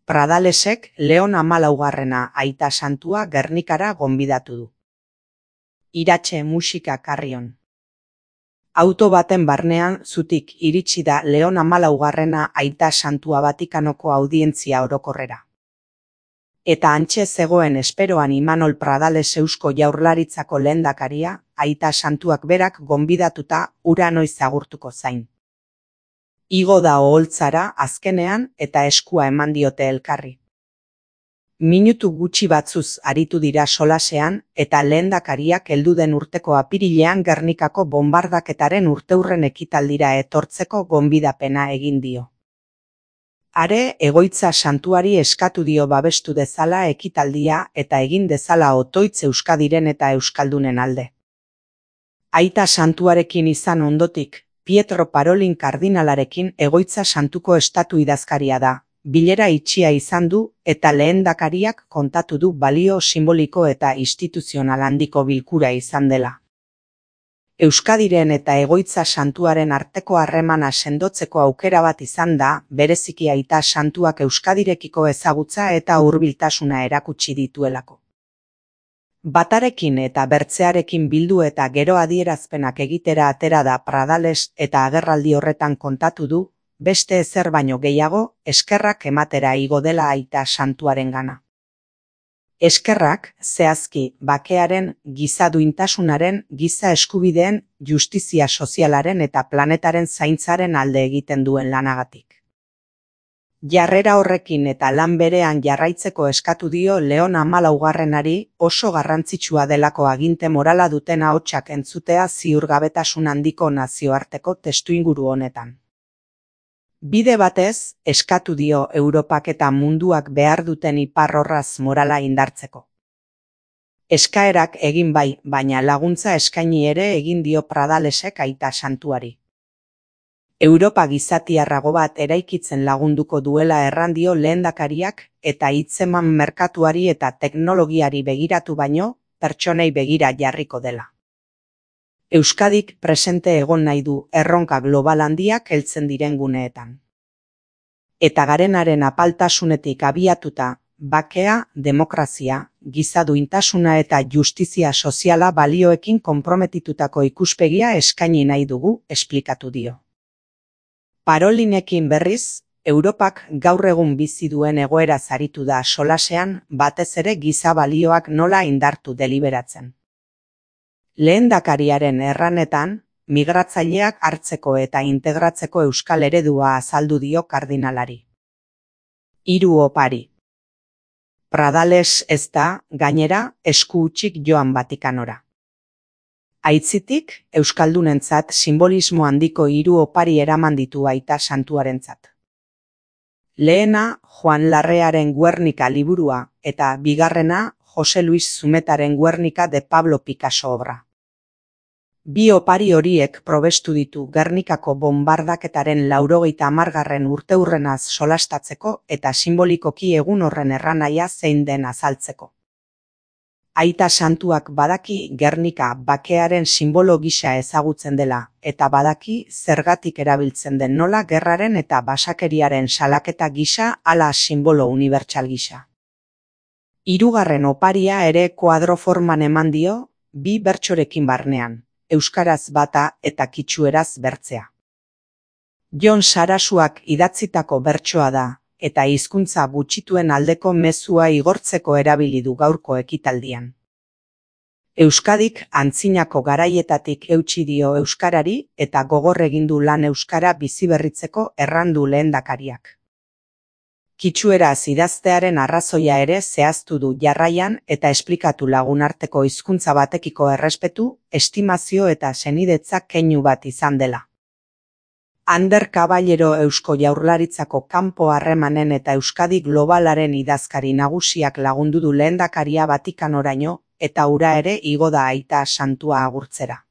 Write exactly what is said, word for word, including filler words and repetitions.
Pradalesek Leon hamalaugarrena aita santua Gernikara gonbidatu du. Iratxe musika Karrion. Auto baten barnean zutik iritsi da Leon hamalaugarrena aita santua Vatikanoko audientzia orokorrera. Eta antxe zegoen esperoan Imanol Pradales Eusko Jaurlaritzako lehendakaria, aita santuak berak gonbidatuta ura noiz agurtuko zain. Igo da oholtzara azkenean eta eskua eman diote elkarri. Minutu gutxi batzuz aritu dira solasean eta lehendakariak heldu den urteko apirilean Gernikako bonbardaketaren urteurren ekitaldira etortzeko gonbidapena egin dio. Are egoitza santuari eskatu dio babestu dezala ekitaldia eta egin dezala otoitz Euskadiren eta Euskaldunen alde. Aita santuarekin izan ondotik, Pietro Parolin kardinalarekin egoitza santuko estatu idazkaria da, bilera itxia izan du eta lehendakariak kontatu du balio simboliko eta instituzional handiko bilkura izan dela. Euskadiren eta egoitza santuaren arteko harremana sendotzeko aukera bat izan da, bereziki aita santuak Euskadirekiko ezagutza eta hurbiltasuna erakutsi dituelako. Batarekin eta bertzearekin bildu eta gero adierazpenak egitera atera da Pradales eta agerraldi horretan kontatu du, beste ezer baino gehiago, eskerrak ematera igo dela aita santuarengana. Eskerrak, zehazki, bakearen, giza duintasunaren, giza eskubideen, justizia sozialaren eta planetaren zaintzaren alde egiten duen lanagatik. Jarrera horrekin eta lan berean jarraitzeko eskatu dio Leon hamalaugarrenari oso garrantzitsua delako aginte morala duten ahotsak entzutea ziurgabetasun handiko nazioarteko testuinguru honetan. Bide batez, eskatu dio Europak eta munduak behar duten iparrorraz morala indartzeko. Eskaerak egin bai, baina laguntza eskaini ere egin dio Pradalesek aita santuari. Europa gizatiarrago bat eraikitzen lagunduko duela errandio lehendakariak eta hitzeman merkatuari eta teknologiari begiratu baino, pertsonei begira jarriko dela. Euskadik presente egon nahi du erronka global handiak heltzen diren guneetan. Eta garenaren apaltasunetik abiatuta, bakea, demokrazia, giza duintasuna eta justizia soziala balioekin konprometitutako ikuspegia eskaini nahi dugu, esplikatu dio. Parolinekin berriz, Europak gaur egun bizi duen egoera zaritu da solasean batez ere giza balioak nola indartu deliberatzen. Lehendakariaren erranetan, migratzaileak hartzeko eta integratzeko euskal eredua azaldu dio kardinalari. Hiru opari. Pradales ez da, gainera, esku hutsik joan Vatikanora. Aitzitik, euskaldunentzat simbolismo handiko hiru opari eraman ditu aita santuarentzat. Lehena, Juan Larrearen Guernica liburua eta bigarrena, Jose Luis Zumetaren Guernica de Pablo Picasso obra. Bi opari horiek probestu ditu Gernikako bonbardaketaren laurogeita hamargarren urteurrenaz solastatzeko eta simbolikoki egun horren erranaia zein den azaltzeko. Aita santuak badaki Gernika bakearen simbolo gisa ezagutzen dela eta badaki zergatik erabiltzen den nola gerraren eta basakeriaren salaketa gisa ala simbolo unibertsal gisa. Hirugarren oparia ere kuadroforman eman dio, bi bertsorekin barnean, euskaraz bata eta kitxueraz bertzea. Jon Sarasuak idatzitako bertsoa da, eta hizkuntza gutxituen aldeko mezua igortzeko erabili du gaurko ekitaldian. Euskadik antzinako garaietatik eutsi dio euskarari eta gogor egin du lan euskara biziberritzeko errandu lehendakariak. Kitxueraz idaztearen arrazoia ere zehaztu du jarraian eta esplikatu lagunarteko hizkuntza batekiko errespetu, estimazio eta senidetza keinu bat izan dela. Ander Caballero Eusko Jaurlaritzako kanpo harremanen eta Euskadi globalaren idazkari nagusiak lagundu du lehendakaria Vatikanoraino eta ura ere igo da aita santua agurtzera.